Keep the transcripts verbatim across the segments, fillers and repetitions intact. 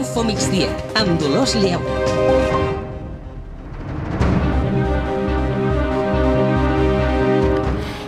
Info Migdia, amb Dolors Lleu.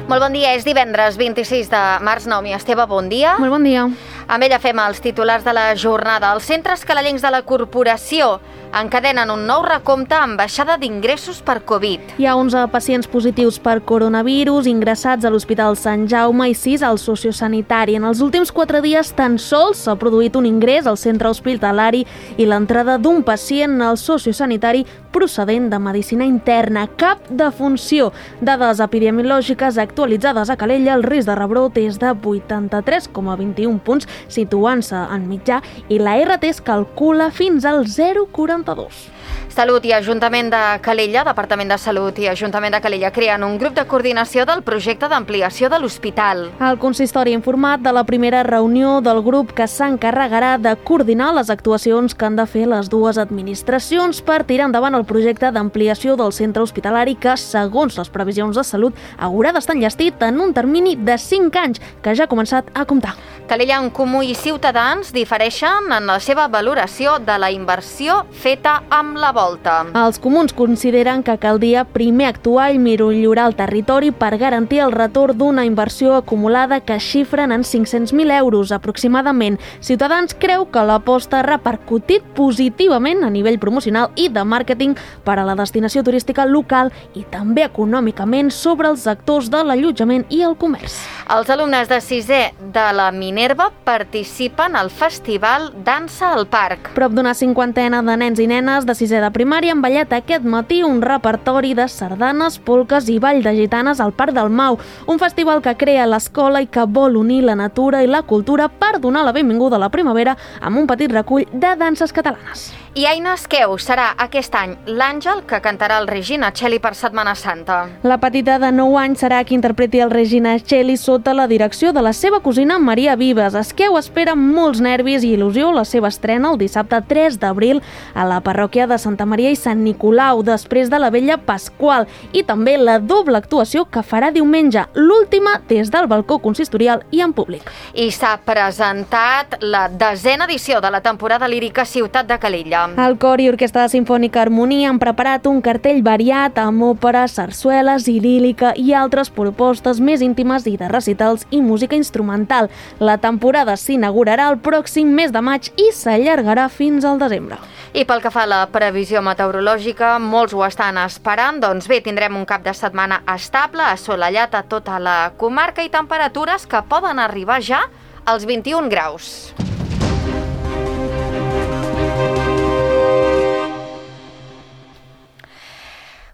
Molt bon dia, és divendres vint-i-sis de març. Naomi Esteve, bon dia. Molt bon dia. Amb ella fem els titulars de la jornada. Els centres canalencs de la corporació encadenen un nou recompte amb baixada d'ingressos per Covid. Hi ha onze pacients positius per coronavirus ingressats a l'Hospital Sant Jaume i sis al sociosanitari. En els últims quatre dies tan sols s'ha produït un ingrés al centre hospitalari i l'entrada d'un pacient al sociosanitari procedent de medicina interna. Cap defunció. Dades epidemiològiques actualitzades a Calella, el risc de rebrot és de vuitanta-tres coma vint-i-un punts, situant-se en mitjà, i la R T es calcula fins al zero coma quaranta-dos. Salut i Ajuntament de Calella, Departament de Salut i Ajuntament de Calella creen un grup de coordinació del projecte d'ampliació de l'hospital. El consistori ha informat de la primera reunió del grup que s'encarregarà de coordinar les actuacions que han de fer les dues administracions per tirar endavant el projecte d'ampliació del centre hospitalari que, segons les previsions de salut, haurà d'estar enllestit en un termini de cinc anys, que ja ha començat a comptar. Calella en Comú i Ciutadans difereixen en la seva valoració de la inversió feta amb la volta. Els comuns consideren que caldria primer actuar i millorar el territori per garantir el retorn d'una inversió acumulada que xifren en cinc-cents mil euros aproximadament. Ciutadans creu que l'aposta ha repercutit positivament a nivell promocional i de màrqueting per a la destinació turística local i també econòmicament sobre els sectors de l'allotjament i el comerç. Els alumnes de sisè de la Minerva participen al Festival Dansa al Parc. Prop d'una cinquantena de nens i nenes de sisè de primària han ballat aquest matí un repertori de sardanes, polques i ball de gitanes al Parc del Mau, un festival que crea l'escola i que vol unir la natura i la cultura per donar la benvinguda a la primavera amb un petit recull de danses catalanes. I Aina Esqueu serà aquest any l'àngel que cantarà el Regina Celli per Setmana Santa. La petita de nou anys serà qui interpreti el Regina Celli sota la direcció de la seva cosina Maria Vives. Esqueu espera amb molts nervis i il·lusió la seva estrena el dissabte tres d'abril a la parròquia de Santa Maria i Sant Nicolau, després de la Vella Pasqual, i també la doble actuació que farà diumenge, l'última des del balcó consistorial i en públic. I s'ha presentat la desena edició de la temporada lírica Ciutat de Calella. El Cor i Orquestra Simfònica Harmonia han preparat un cartell variat amb òperes, sarsueles i lírica i altres propostes més íntimes i de recitals i música instrumental. La temporada s'inaugurarà el pròxim mes de maig i s'allargarà fins al desembre. I pel que fa a la previsió meteorològica, molts ho estan esperant. Doncs bé, tindrem un cap de setmana estable, assolellat a tota la comarca i temperatures que poden arribar ja als vint-i-un graus.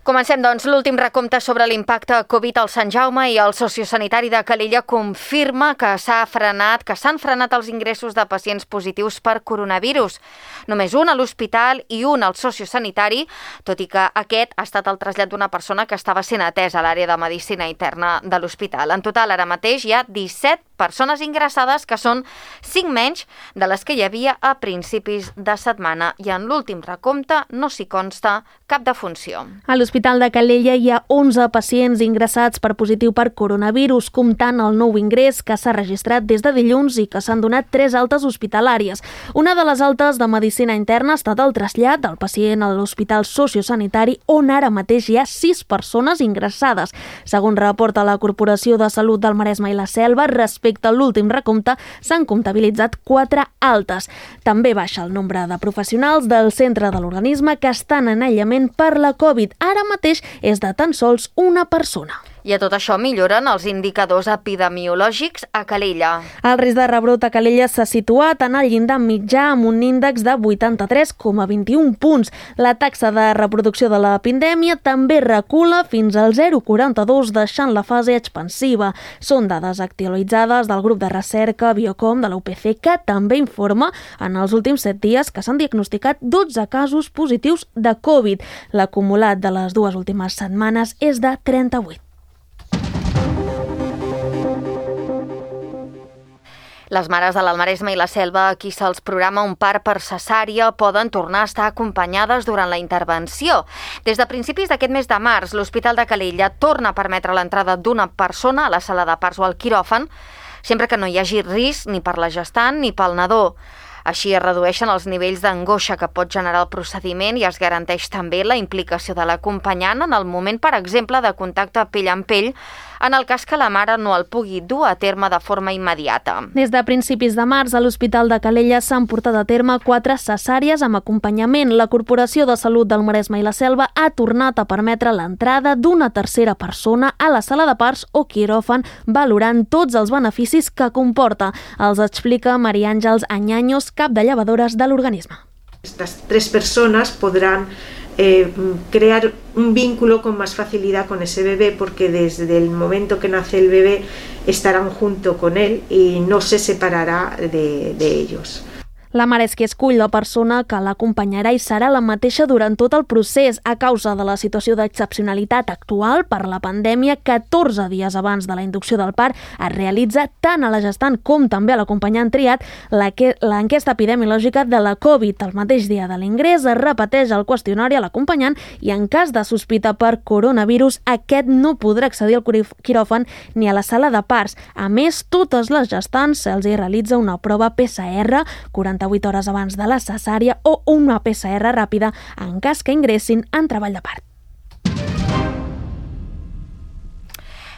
Comencem, doncs, l'últim recompte sobre l'impacte Covid al Sant Jaume i el sociosanitari de Calella confirma que s'ha frenat, que s'han frenat els ingressos de pacients positius per coronavirus. Només un a l'hospital i un al sociosanitari, tot i que aquest ha estat el trasllat d'una persona que estava sent atesa a l'àrea de medicina interna de l'hospital. En total, ara mateix hi ha disset persones ingressades, que són cinc menys de les que hi havia a principis de setmana, i en l'últim recompte no s'hi consta cap defunció. A l'Hospital de Calella hi ha onze pacients ingressats per positiu per coronavirus, comptant el nou ingrés que s'ha registrat des de dilluns i que s'han donat tres altes hospitalàries. Una de les altes de medicina interna ha estat el trasllat del pacient a l'Hospital Sociosanitari, on ara mateix hi ha sis persones ingressades. Segons reporta la Corporació de Salut del Maresme i la Selva, respecte a l'últim recompte s'han comptabilitzat quatre altes. També baixa el nombre de professionals del centre de l'organisme que estan en aïllament per la Covid. Ara mateix és de tan sols una persona. I a tot això milloren els indicadors epidemiològics a Calella. El risc de rebrot a Calella s'ha situat en el llindar mitjà amb un índex de vuitanta-tres coma vint-i-un punts. La taxa de reproducció de la pandèmia també recula fins al zero coma quaranta-dos, deixant la fase expansiva. Són dades actualitzades del grup de recerca Biocom de la U P C, que també informa en els últims set dies que s'han diagnosticat dotze casos positius de Covid. L'acumulat de les dues últimes setmanes és de trenta-vuit. Les mares de l'Almaresme i la Selva, a qui se'ls programa un part per cesària, poden tornar a estar acompanyades durant la intervenció. Des de principis d'aquest mes de març, l'Hospital de Calella torna a permetre l'entrada d'una persona a la sala de parts o al quiròfan, sempre que no hi hagi risc ni per la gestant ni pel nadó. Així es redueixen els nivells d'angoixa que pot generar el procediment i es garanteix també la implicació de l'acompanyant en el moment, per exemple, de contacte pell amb pell, en el cas que la mare no el pugui dur a terme de forma immediata. Des de principis de març, a l'Hospital de Calella s'han portat a terme quatre cesàries amb acompanyament. La Corporació de Salut del Maresme i la Selva ha tornat a permetre l'entrada d'una tercera persona a la sala de parts o quiròfan, valorant tots els beneficis que comporta. Els explica María Àngels Añaños, cap de llevadores de l'organisme. Estas tres personas podrán Eh, crear un vínculo con más facilidad con ese bebé, porque desde el momento que nace el bebé estarán junto con él y no se separará de, de ellos. La mare és qui escull la persona que l'acompanyarà i serà la mateixa durant tot el procés. A causa de la situació d'excepcionalitat actual per la pandèmia, catorze dies abans de la inducció del part es realitza tant a la gestant com també a l'acompanyant triat l'enquesta epidemiològica de la Covid. El mateix dia de l'ingrés es repeteix el qüestionari a l'acompanyant i en cas de sospita per coronavirus, aquest no podrà accedir al quiròfan ni a la sala de parts. A més, totes les gestants se'ls hi realitza una prova P C R quaranta-vuit hores abans de la cesària o una P C R ràpida en cas que ingressin en treball de part.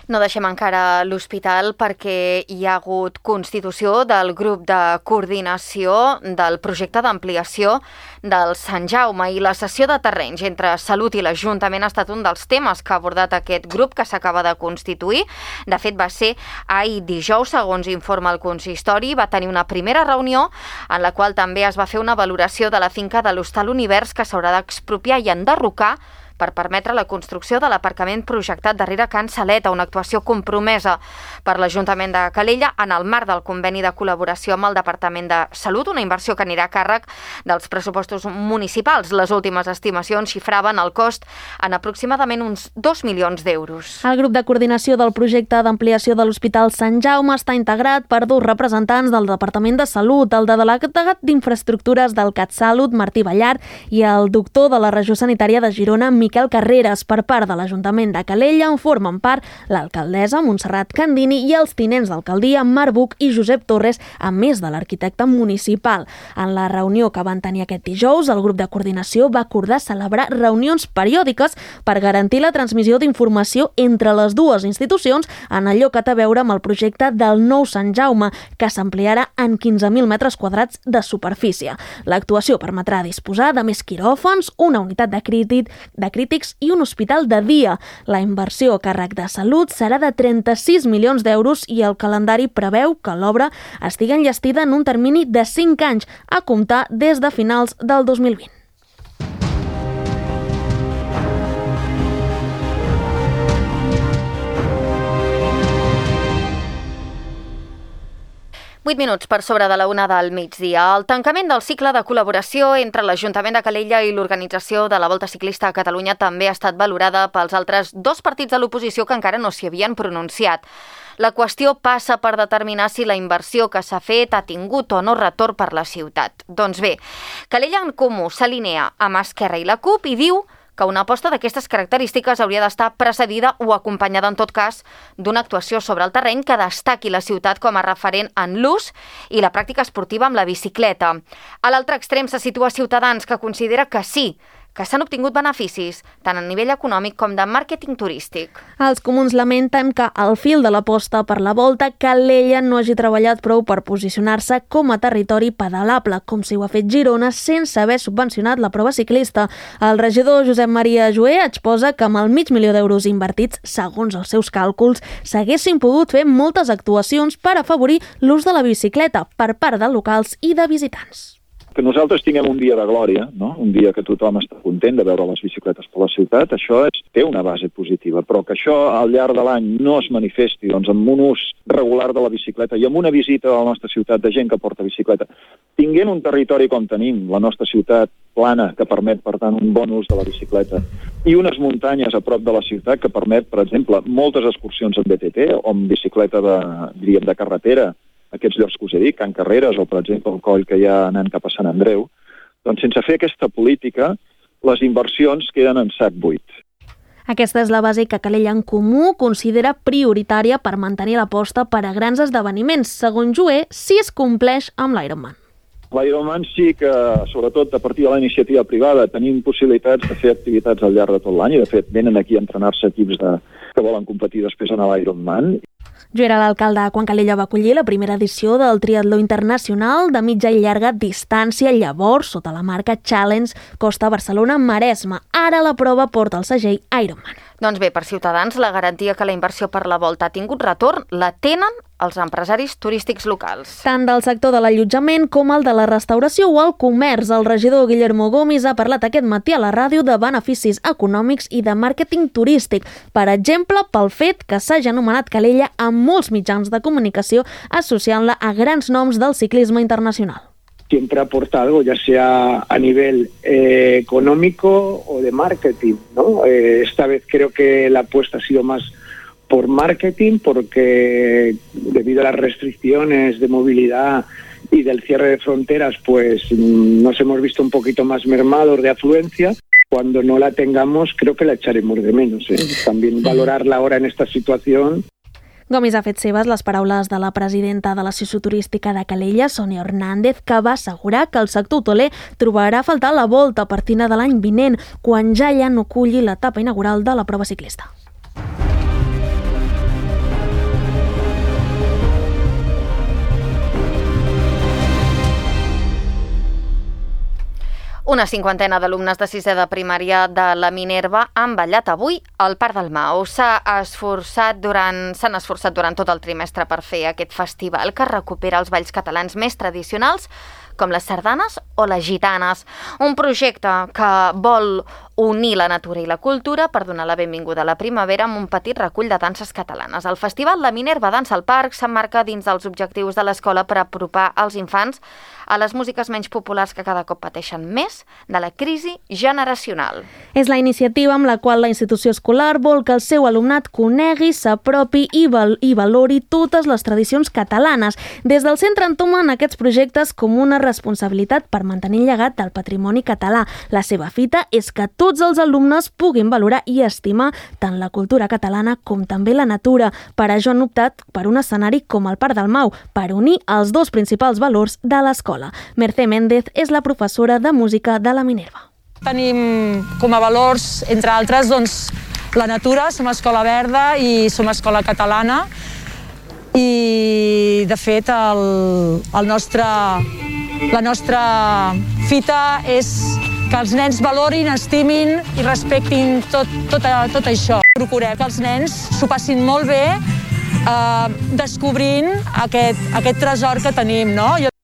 No deixem encara l'hospital perquè hi ha hagut constitució del grup de coordinació del projecte d'ampliació del Sant Jaume i la cessió de terrenys entre Salut i l'Ajuntament ha estat un dels temes que ha abordat aquest grup que s'acaba de constituir. De fet, va ser ahir dijous, segons informa el consistori, va tenir una primera reunió en la qual també es va fer una valoració de la finca de l'Hostal Univers que s'haurà d'expropiar i enderrocar per permetre la construcció de l'aparcament projectat darrere Can Saleta, una actuació compromesa per l'Ajuntament de Calella en el marc del conveni de col·laboració amb el Departament de Salut, una inversió que anirà a càrrec dels pressupostos municipals. Les últimes estimacions xifraven el cost en aproximadament uns dos milions d'euros. El grup de coordinació del projecte d'ampliació de l'Hospital Sant Jaume està integrat per dos representants del Departament de Salut, el de delegat d'Infraestructures del CatSalut, Martí Ballart, i el doctor de la Regió Sanitària de Girona, Miquel Carreras. Per part de l'Ajuntament de Calella en formen part l'alcaldessa Montserrat Candini i els tinents d'alcaldia Marc Buch i Josep Torres, a més de l'arquitecte municipal. En la reunió que van tenir aquest dijous, el grup de coordinació va acordar celebrar reunions periòdiques per garantir la transmissió d'informació entre les dues institucions en allò que té a veure amb el projecte del nou Sant Jaume, que s'ampliarà en quinze mil metres quadrats de superfície. L'actuació permetrà disposar de més quiròfans, una unitat de crític, de crítics i un hospital de dia. La inversió a càrrec de Salut serà de trenta-sis milions d'euros i el calendari preveu que l'obra estigui enllestida en un termini de cinc anys, a comptar des de finals del dos mil vint. vuit minuts per sobre de la una del migdia. El tancament del cicle de col·laboració entre l'Ajuntament de Calella i l'organització de la Volta Ciclista a Catalunya també ha estat valorada pels altres dos partits de l'oposició que encara no s'hi havien pronunciat. La qüestió passa per determinar si la inversió que s'ha fet ha tingut o no retorn per la ciutat. Doncs bé, Calella en Comú s'alinea amb Esquerra i la CUP i diu que una aposta d'aquestes característiques hauria d'estar precedida o acompanyada, en tot cas, d'una actuació sobre el terreny que destaqui la ciutat com a referent en l'ús i la pràctica esportiva amb la bicicleta. A l'altre extrem se situa Ciutadans, que considera que sí, que s'han obtingut beneficis, tant a nivell econòmic com de màrqueting turístic. Els comuns lamenten que, al fil de l'aposta per la Volta, Calella no hagi treballat prou per posicionar-se com a territori pedalable, com si ho ha fet Girona sense haver subvencionat la prova ciclista. El regidor Josep Maria Joé exposa que amb el mig milió d'euros invertits, segons els seus càlculs, s'haguessin pogut fer moltes actuacions per afavorir l'ús de la bicicleta per part de locals i de visitants. Que nosaltres tinguem un dia de glòria, no? Un dia que tothom està content de veure les bicicletes per la ciutat, això és, té una base positiva, però que això al llarg de l'any no es manifesti doncs, amb un ús regular de la bicicleta i amb una visita a la nostra ciutat de gent que porta bicicleta, tinguent un territori com tenim, la nostra ciutat plana, que permet, per tant, un bon ús de la bicicleta, i unes muntanyes a prop de la ciutat que permet, per exemple, moltes excursions en B T T o amb bicicleta de, diríem, de carretera, aquests llocs que us he dit, Can Carreres o, per exemple, el coll que hi ha anant cap a Sant Andreu, doncs sense fer aquesta política, les inversions queden en sac buit. Aquesta és la base que Calella en Comú considera prioritària per mantenir l'aposta per a grans esdeveniments. Segons Joé, si es compleix amb l'Ironman. L'Ironman sí que, sobretot a partir de la iniciativa privada, tenim possibilitats de fer activitats al llarg de tot l'any i, de fet, venen aquí a entrenar-se equips de, que volen competir després en l'Ironman. Joera, l'alcalde Quan Calella va acollir la primera edició del triatló internacional de mitja i llarga distància, llavors sota la marca Challenge Costa Barcelona-Maresme. Ara la prova porta el segell Ironman. Doncs bé, per Ciutadans, la garantia que la inversió per la volta ha tingut retorn la tenen els empresaris turístics locals. Tant del sector de l'allotjament com el de la restauració o el comerç. El regidor Guillermo Gómez ha parlat aquest matí a la ràdio de beneficis econòmics i de màrqueting turístic. Per exemple, pel fet que s'hagi anomenat Calella amb molts mitjans de comunicació associant-la a grans noms del ciclisme internacional. Siempre aporta algo, ya sea a nivel eh, económico o de marketing, ¿no? Eh, esta vez creo que la apuesta ha sido más por marketing, porque debido a las restricciones de movilidad y del cierre de fronteras, pues nos hemos visto un poquito más mermados de afluencia. Cuando no la tengamos, creo que la echaremos de menos, ¿eh? También valorarla ahora en esta situación. Gómez ha fet seves les paraules de la presidenta de l'Associació Turística de Calella, Sònia Hernández, que va assegurar que el sector hoteler trobarà a faltar la volta a partir de l'any vinent, quan ja ja no culli l'etapa inaugural de la prova ciclista. Una cinquantena d'alumnes de sisè de primària de la Minerva han ballat avui al Parc del Mau. S'ha esforçat durant, s'han esforçat durant tot el trimestre per fer aquest festival que recupera els balls catalans més tradicionals, com les sardanes o les gitanes. Un projecte que vol unir la natura i la cultura per donar la benvinguda a la primavera amb un petit recull de danses catalanes. El festival La Minerva Dansa al Parc s'emmarca dins dels objectius de l'escola per apropar els infants a les músiques menys populars que cada cop pateixen més de la crisi generacional. És la iniciativa amb la qual la institució escolar vol que el seu alumnat conegui, s'apropi i, val i valori totes les tradicions catalanes. Des del centre entomen aquests projectes com una responsabilitat per mantenir el llegat del patrimoni català. La seva fita és que tots els alumnes puguin valorar i estimar tant la cultura catalana com també la natura. Per això han optat per un escenari com el Parc del Mau, per unir els dos principals valors de l'escola. Mercè Méndez és la professora de música de la Minerva. Tenim com a valors, entre altres, doncs, la natura, som escola verda i som escola catalana, i de fet el, el nostre, la nostra fita és que els nens valorin, estimin i respectin tot, tot, tot això. Procurem que els nens s'ho passin molt bé eh, descobrint aquest, aquest tresor que tenim, no? Jo...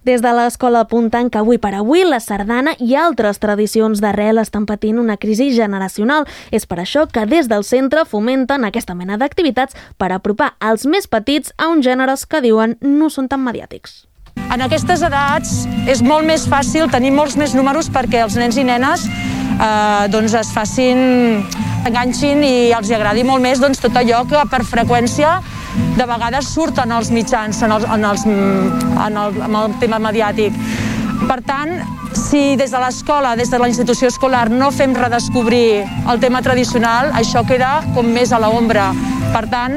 Des de l'escola apunten que avui per avui la sardana i altres tradicions d'arrel estan patint una crisi generacional. És per això que des del centre fomenten aquesta mena d'activitats per apropar els més petits a uns gèneres que diuen no són tan mediàtics. En aquestes edats és molt més fàcil tenir molts més números perquè els nens i nenes eh, doncs es facin, enganxin i els agradi molt més doncs, tot allò que per freqüència de vegades surten als mitjans en, els, en, els, en, el, en el tema mediàtic. Per tant, si des de l'escola, des de la institució escolar no fem redescobrir el tema tradicional, això queda com més a l'ombra. Per tant,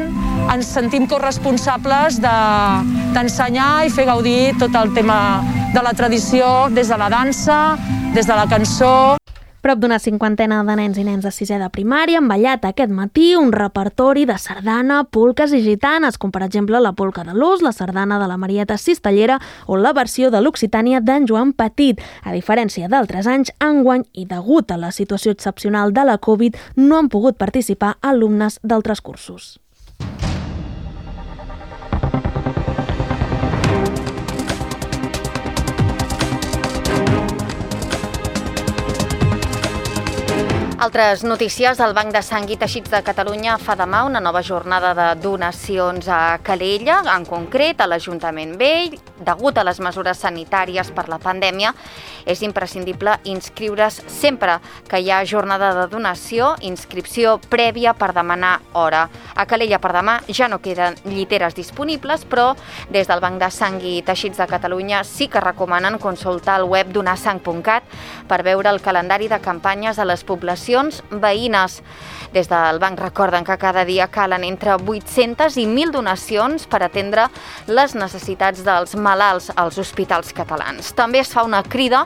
ens sentim corresponsables d'ensenyar de, i fer gaudir tot el tema de la tradició des de la dansa, des de la cançó. Prop d'una cinquantena de nens i nens de sisè de primària han ballat aquest matí un repertori de sardana, polques i gitanes, com per exemple la polca de l'Ós, la sardana de la Marieta Cistellera o la versió de l'Occitània d'en Joan Petit. A diferència d'altres anys, enguany i degut a la situació excepcional de la Covid, no han pogut participar alumnes d'altres cursos. Altres notícies, el Banc de Sang i Teixits de Catalunya fa demà una nova jornada de donacions a Calella, en concret a l'Ajuntament Vell. Degut a les mesures sanitàries per la pandèmia, és imprescindible inscriure's sempre que hi ha jornada de donació, inscripció prèvia per demanar hora. A Calella per demà ja no queden lliteres disponibles, però des del Banc de Sang i Teixits de Catalunya sí que recomanen consultar el web donar sang punt cat per veure el calendari de campanyes a les poblacions donacions veïnes. Des del banc recorden que cada dia calen entre vuit-centes i mil donacions per atendre les necessitats dels malalts als hospitals catalans. També es fa una crida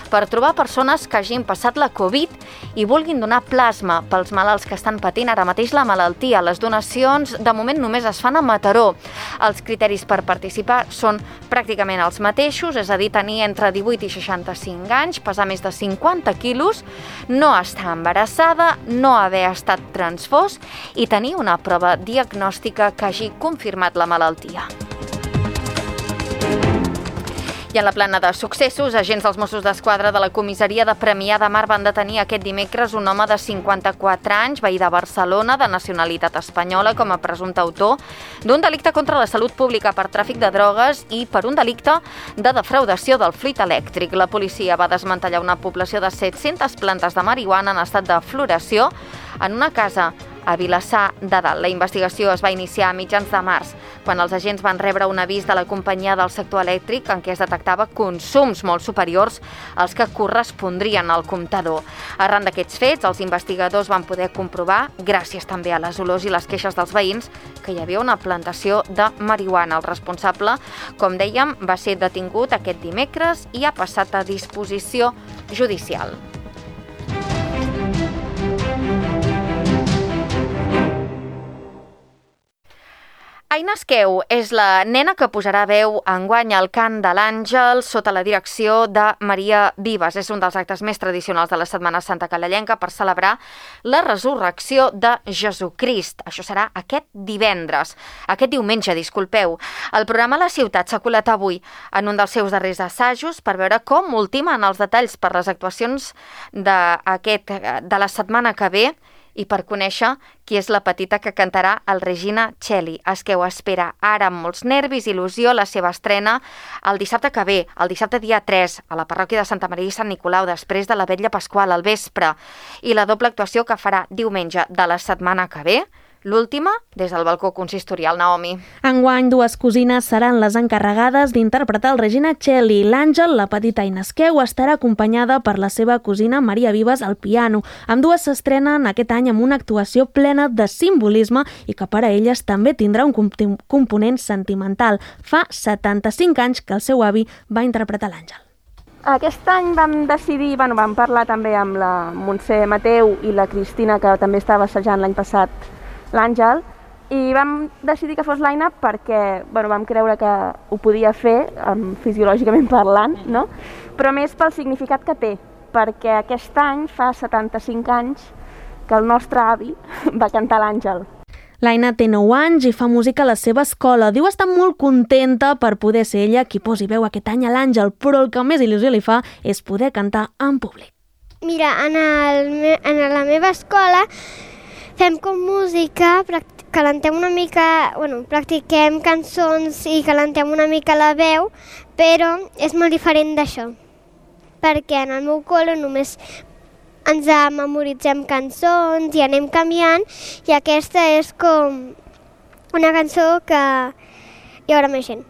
per trobar persones que hagin passat la Covid i vulguin donar plasma pels malalts que estan patint ara mateix la malaltia. Les donacions de moment només es fan a Mataró. Els criteris per participar són pràcticament els mateixos, és a dir, tenir entre divuit i seixanta-cinc anys, pesar més de cinquanta quilos, no estar embarassada, no haver estat transfós i tenir una prova diagnòstica que hagi confirmat la malaltia. I en la plana de successos, agents dels Mossos d'Esquadra de la comissaria de Premià de Mar van detenir aquest dimecres un home de cinquanta-quatre anys, veí de Barcelona, de nacionalitat espanyola, com a presumpte autor d'un delicte contra la salut pública per tràfic de drogues i per un delicte de defraudació del fluid elèctric. La policia va desmantellar una població de set-centes plantes de marihuana en estat de floració en una casa a Vilassar de Dalt. La investigació es va iniciar a mitjans de març, quan els agents van rebre un avís de la companyia del sector elèctric en què es detectava consums molt superiors als que correspondrien al comptador. Arran d'aquests fets, els investigadors van poder comprovar, gràcies també a les olors i les queixes dels veïns, que hi havia una plantació de marihuana. El responsable, com dèiem, va ser detingut aquest dimecres i ha passat a disposició judicial. Aina Esqueu és la nena que posarà veu enguany al cant de l'Àngel sota la direcció de Maria Vives. És un dels actes més tradicionals de la Setmana Santa calellenca per celebrar la resurrecció de Jesucrist. Això serà aquest divendres, aquest diumenge, disculpeu. El programa La Ciutat s'ha colat avui en un dels seus darrers assajos per veure com ultimen els detalls per les actuacions d'aquest, de la setmana que ve i per conèixer qui és la petita que cantarà el Regina Coeli. Esqueu espera ara amb molts nervis i il·lusió la seva estrena el dissabte que ve, el dissabte dia tres, a la parròquia de Santa Maria i Sant Nicolau, després de la vetlla pasqual al vespre, i la doble actuació que farà diumenge de la setmana que ve, l'última des del balcó consistorial. Naomi. Enguany, dues cosines seran les encarregades d'interpretar el Regina Coeli. L'Àngel, la petita Aina Esqueu, estarà acompanyada per la seva cosina Maria Vives al piano. Ambdues s'estrenen aquest any amb una actuació plena de simbolisme i que per a elles també tindrà un component sentimental. Fa setanta-cinc anys que el seu avi va interpretar l'Àngel. Aquest any vam decidir, bueno, vam parlar també amb la Montse Mateu i la Cristina, que també estava assajant l'any passat l'Àngel, i vam decidir que fos l'Aina perquè bueno, vam creure que ho podia fer, um, fisiològicament parlant, no? Però més pel significat que té, perquè aquest any fa setanta-cinc anys que el nostre avi va cantar l'Àngel. L'Aina té nou anys i fa música a la seva escola. Diu estar molt contenta per poder ser ella qui posi veu aquest any a l'Àngel, però el que més il·lusió li fa és poder cantar en públic. Mira, en, el, en la meva escola fem com música, calentem una mica, bueno, practiquem cançons i calentem una mica la veu, però és molt diferent d'això, perquè en el meu col·le només ens memoritzem cançons i anem canviant, i aquesta és com una cançó que hi haurà més gent.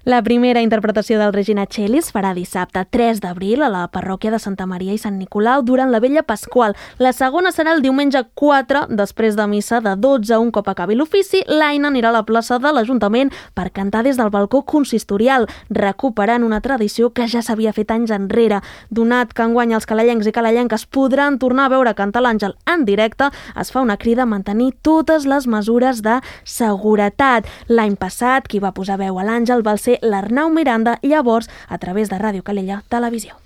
La primera interpretació del Regina Coeli es farà dissabte tres d'abril a la parròquia de Santa Maria i Sant Nicolau durant la vetlla pasqual. La segona serà el diumenge quatre, després de missa de dotze. Un cop acabi l'ofici, l'Aina anirà a la plaça de l'Ajuntament per cantar des del balcó consistorial, recuperant una tradició que ja s'havia fet anys enrere. Donat que enguany els calellencs i calellenques podran tornar a veure cantar l'Àngel en directe, es fa una crida a mantenir totes les mesures de seguretat. L'any passat, qui va posar veu a l'Àngel va ser l'Arnau Miranda, llavors a través de Ràdio Calella Televisió.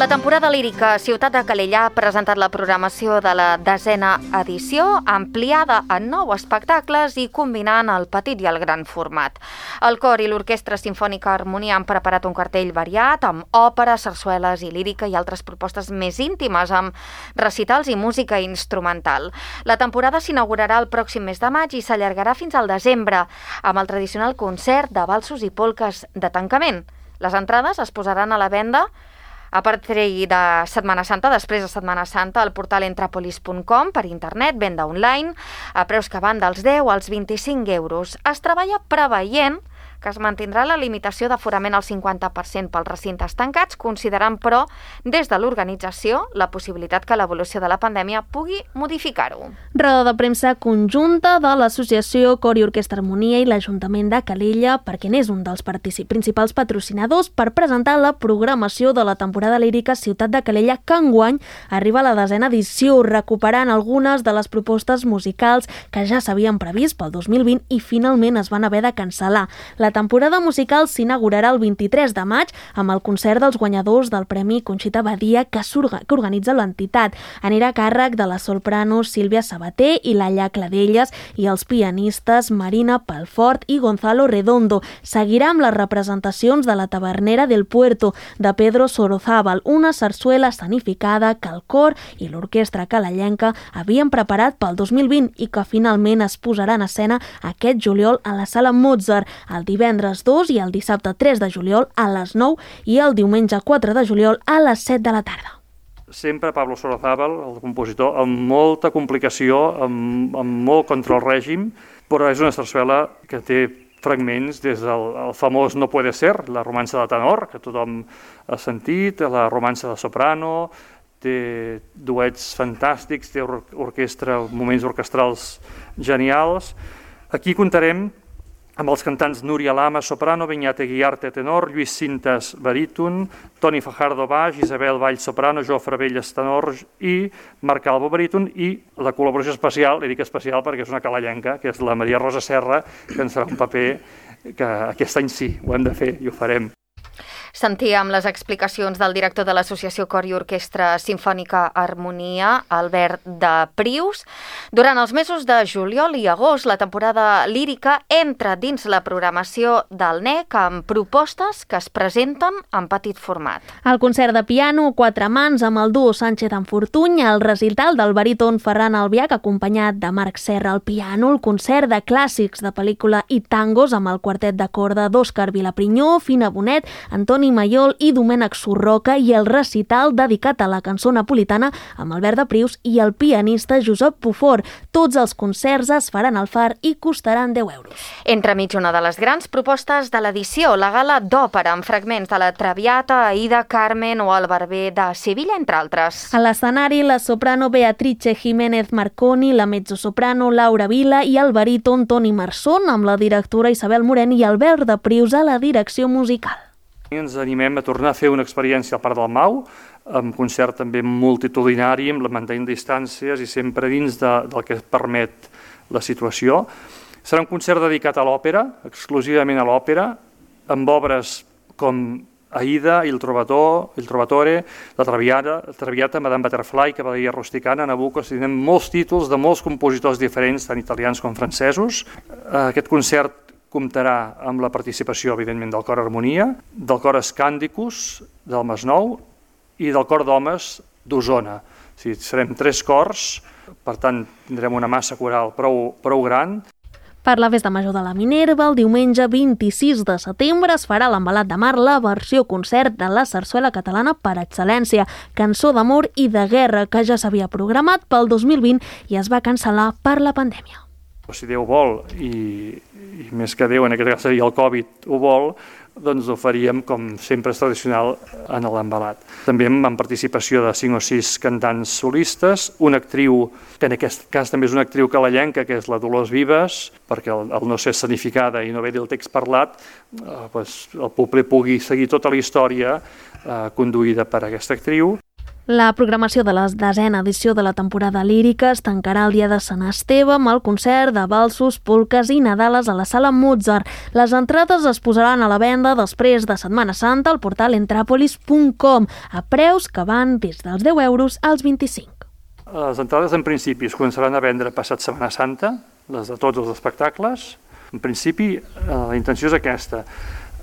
La temporada lírica Ciutat de Calella ha presentat la programació de la desena edició, ampliada en nou espectacles i combinant el petit i el gran format. El cor i l'Orquestra Simfònica Harmonia han preparat un cartell variat amb òpera, sarsueles i lírica i altres propostes més íntimes amb recitals i música instrumental. La temporada s'inaugurarà el pròxim mes de maig i s'allargarà fins al desembre amb el tradicional concert de valsos i polques de tancament. Les entrades es posaran a la venda A partir de Setmana Santa, després de Setmana Santa, al portal entrapolis punt com per internet, venda online, a preus que van dels deu als vint-i-cinc euros. Es treballa preveient que es mantindrà la limitació d'aforament al cinquanta per cent pels recintes tancats, considerant, però, des de l'organització, la possibilitat que l'evolució de la pandèmia pugui modificar-ho. Roda de premsa conjunta de l'Associació Cor i Orquestra Harmonia i l'Ajuntament de Calella, perquè n'és un dels principals patrocinadors, per presentar la programació de la temporada lírica Ciutat de Calella, que enguany arriba a la desena edició, recuperant algunes de les propostes musicals que ja s'havien previst pel dos mil vint i finalment es van haver de cancel·lar. La temporada musical s'inaugurarà el vint-i-tres de maig amb el concert dels guanyadors del Premi Conxita Badia que, que organitza l'entitat. Anirà a càrrec de la soprano Sílvia Sabater i Laia Cladelles i els pianistes Marina Palfort i Gonzalo Redondo. Seguirà amb les representacions de la Tavernera del Puerto, de Pedro Sorozábal, una sarsuela escenificada que el cor i l'orquestra calellenca havien preparat pel dos mil vint i que finalment es posarà en escena aquest juliol a la Sala Mozart, el divendres dos i el dissabte tres de juliol a les nou i el diumenge quatre de juliol a les set de la tarda. Sempre Pablo Sorozábal, el compositor, amb molta complicació, amb, amb molt contra el règim, però és una sarsuela que té fragments des del el famós No puede ser, la romança de tenor, que tothom ha sentit, la romança de soprano, té duets fantàstics, té or orquestra, moments orquestrals genials. Aquí comptarem amb els cantants Núria Lama, soprano, Beñat Eguiarte, tenor, Lluís Cintas, baríton, Toni Fajardo, baix, Isabel Vall, soprano, Jofre Velles, tenor i Marc Calvo, baríton, i la col·laboració especial, li dic especial perquè és una calellenca, que és la Maria Rosa Serra, que ens farà un paper que aquest any sí, ho hem de fer i ho farem. Sentíem les explicacions del director de l'Associació Cor i Orquestra Simfònica Harmonia, Albert de Prius. Durant els mesos de juliol i agost, la temporada lírica entra dins la programació del N E C amb propostes que es presenten en petit format. El concert de piano a quatre mans amb el duo Sánchez en Fortuny, el recital del baríton Ferran Albiach acompanyat de Marc Serra al piano, el concert de clàssics de pel·lícula i tangos amb el quartet de corda d'Òscar Vilaprinyó, Fina Bonet, Antoni Mayol i Domènec Surroca i el recital dedicat a la cançó napolitana amb Albert de Prius i el pianista Josep Pufort. Tots els concerts es faran al Far i costaran deu euros. Entremig una de les grans propostes de l'edició, la gala d'òpera amb fragments de la Traviata, Aida, Carmen o el Barber de Sevilla, entre altres. A l'escenari, la soprano Beatrice Jiménez Marconi, la mezzosoprano Laura Vila i el baríton Toni Marsón, amb la directora Isabel Morent i Albert de Prius a la direcció musical. Ens animem a tornar a fer una experiència al Parc del Mau, amb concert també multitudinari, amb la mantenint distàncies i sempre dins de, del que permet la situació. Serà un concert dedicat a l'òpera, exclusivament a l'òpera, amb obres com Aida, Il Trovatore, Il Trovatore, la Traviata, la Traviata, Madame Butterfly, Cavalleria Rusticana, Nabucco. Tenim molts títols de molts compositors diferents, tant italians com francesos. Aquest concert comptarà amb la participació, evidentment, del Cor Harmonia, del Cor Escàndicus, del Masnou i del Cor d'Homes d'Osona. O sigui, serem tres cors, per tant, tindrem una massa coral prou, prou gran. Per la Festa Major de la Minerva, el diumenge vint-i-sis de setembre es farà l'Embalat de Mar, la versió concert de la sarsuela catalana per excel·lència, Cançó d'amor i de guerra, que ja s'havia programat pel dos mil vint i es va cancel·lar per la pandèmia. Si Déu vol, i, i més que Déu, en aquest cas seria el Covid, ho vol, doncs ho faríem, com sempre és tradicional, en l'Embalat. També amb participació de cinc o sis cantants solistes, una actriu, que en aquest cas també és una actriu calellenca, que és la Dolors Vives, perquè el, el no ser escenificada i no haver-hi el text parlat, eh, doncs el públic pugui seguir tota la història eh, conduïda per aquesta actriu. La programació de la desena edició de la temporada lírica es tancarà el dia de Sant Esteve amb el concert de valsos, polques i nadales a la Sala Mozart. Les entrades es posaran a la venda després de Setmana Santa al portal entrapolis punt com a preus que van des dels deu euros als vint-i-cinc. Les entrades en principi es començaran a vendre passat Setmana Santa, les de tots els espectacles. En principi la intenció és aquesta.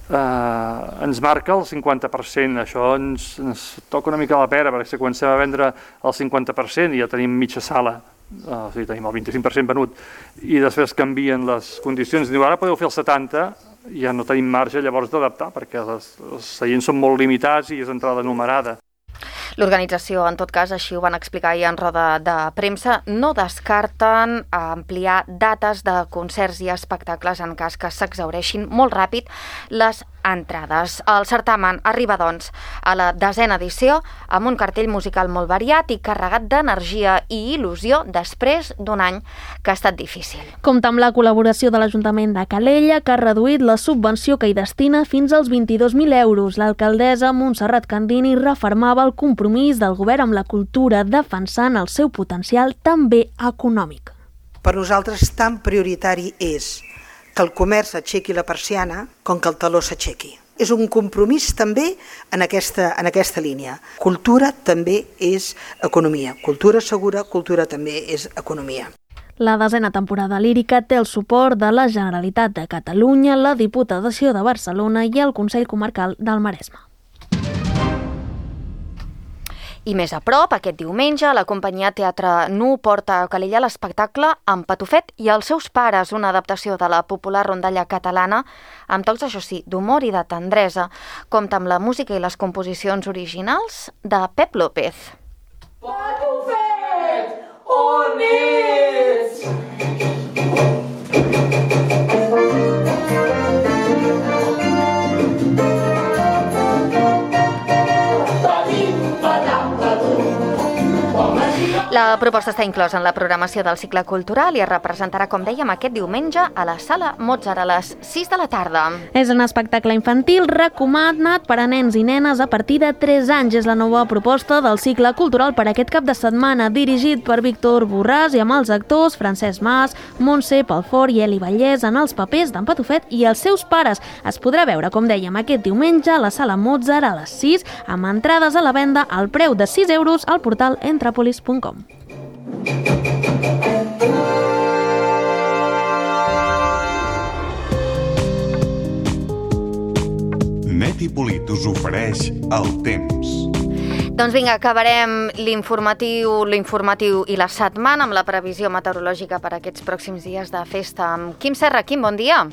Uh, ens marca el cinquanta per cent, això ens, ens toca una mica la pera, perquè si comencem a vendre el cinquanta per cent i ja tenim mitja sala o sigui, tenim el vint-i-cinc per cent venut, i després canvien les condicions, diu, ara podeu fer el setanta, ja no tenim marge llavors d'adaptar, perquè les, els seients són molt limitats i és entrada numerada. L'organització, en tot cas, així ho van explicar ahir en roda de premsa, no descarten ampliar dates de concerts i espectacles en cas que s'exhaureixin molt ràpid les entrades. El certamen arriba, doncs, a la desena edició amb un cartell musical molt variat i carregat d'energia i il·lusió després d'un any que ha estat difícil. Compta amb la col·laboració de l'Ajuntament de Calella, que ha reduït la subvenció que hi destina fins als vint-i-dos mil euros. L'alcaldessa Montserrat Candini refermava el compromís del govern amb la cultura, defensant el seu potencial també econòmic. Per nosaltres tan prioritari és que el comerç aixequi la persiana com que el taló s'aixequi. És un compromís també en aquesta, en aquesta línia. Cultura també és economia. Cultura segura, cultura també és economia. La desena temporada lírica té el suport de la Generalitat de Catalunya, la Diputació de Barcelona i el Consell Comarcal del Maresme. I més a prop, aquest diumenge, la companyia Teatre Nu porta a Calella l'espectacle En Patufet i els seus pares, una adaptació de la popular rondalla catalana, amb tocs, això sí, d'humor i de tendresa. Compta amb la música i les composicions originals de Pep López. Patufet, on ets? La proposta està inclosa en la programació del cicle cultural i es representarà, com dèiem, aquest diumenge a la Sala Mozart a les sis de la tarda. És un espectacle infantil recomanat per a nens i nenes a partir de tres anys. És la nova proposta del cicle cultural per aquest cap de setmana, dirigit per Víctor Borràs i amb els actors Francesc Mas, Montse Pelfort i Eli Vallès en els papers d'en Patufet i els seus pares. Es podrà veure, com dèiem, aquest diumenge a la Sala Mozart a les sis, amb entrades a la venda al preu de sis euros al portal entrapolis punt com. Net i Polit us ofereix el temps. Doncs vinga, acabarem l'informatiu, l'informatiu i la setmana amb la previsió meteorològica per aquests pròxims dies de festa. Quim Serra, Quim, bon dia.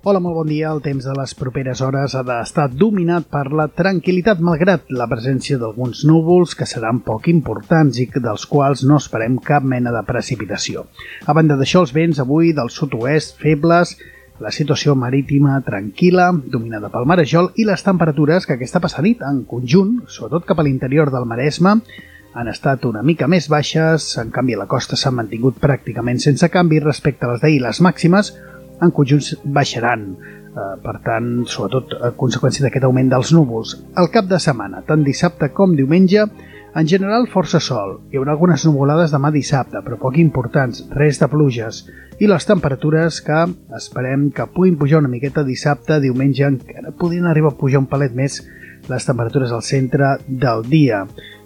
Hola, molt bon dia. El temps de les properes hores ha d'estar dominat per la tranquil·litat, malgrat la presència d'alguns núvols que seran poc importants i dels quals no esperem cap mena de precipitació. A banda d'això, els vents avui del sud-oest febles, la situació marítima tranquil·la, dominada pel marejol, i les temperatures que aquesta passanit en conjunt, sobretot cap a l'interior del Maresme, han estat una mica més baixes. En canvi, a la costa s'han mantingut pràcticament sense canvi respecte a les d'ahir. Les màximes en conjunt baixaran, eh, per tant, sobretot a conseqüència d'aquest augment dels núvols. Al cap de setmana, tant dissabte com diumenge, en general força sol. Hi haurà algunes nuvolades demà dissabte, però poc importants, res de pluges. I les temperatures que esperem que puguin pujar una miqueta dissabte, diumenge, encara podrien arribar a pujar un palet més les temperatures al centre del dia.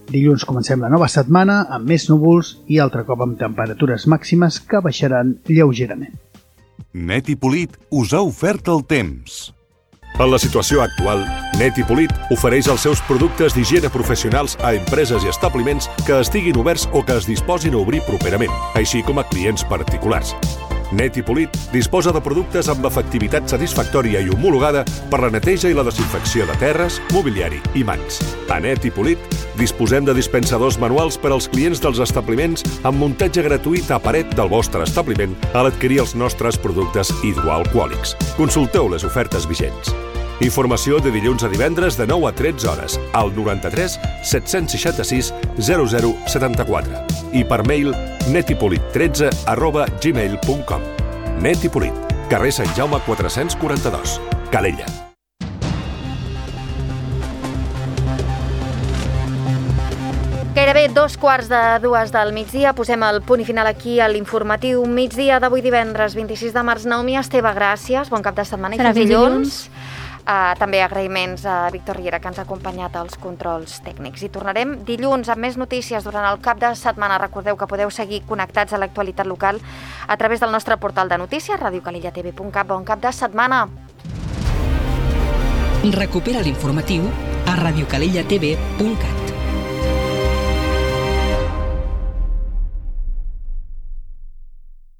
Dilluns comencem la nova setmana amb més núvols i altre cop amb temperatures màximes que baixaran lleugerament. Net i Polit us ha ofert el temps. En la situació actual, Net i Polit ofereix els seus productes d'higiene professionals a empreses i establiments que estiguin oberts o que es disposin a obrir properament, així com a clients particulars. Net i Polit disposa de productes amb efectivitat satisfactòria i homologada per la neteja i la desinfecció de terres, mobiliari i mans. A Net i Polit disposem de dispensadors manuals per als clients dels establiments amb muntatge gratuït a paret del vostre establiment a l'adquirir els nostres productes hidroalcohòlics. Consulteu les ofertes vigents. Informació de dilluns a divendres de nou a tretze hores al noranta-tres set-cents seixanta-sis zero zero setanta-quatre i per mail netipolit tretze arroba gmail punt com. Net i Polit, carrer Sant Jaume quatre-cents quaranta-dos, Calella. Gairebé dos quarts de dues del migdia. Posem el punt i final aquí a l'informatiu migdia d'avui divendres vint-i-sis de març. Naomi Esteve, gràcies. Bon cap de setmana i fins dilluns. Uh, també agraïments a Víctor Riera, que ens ha acompanyat als controls tècnics. I tornarem dilluns amb més notícies durant el cap de setmana. Recordeu que podeu seguir connectats a l'actualitat local a través del nostre portal de notícies, ràdio calella t v punt cat. Bon cap de setmana! Recupera l'informatiu a radiocalellatv punt cat.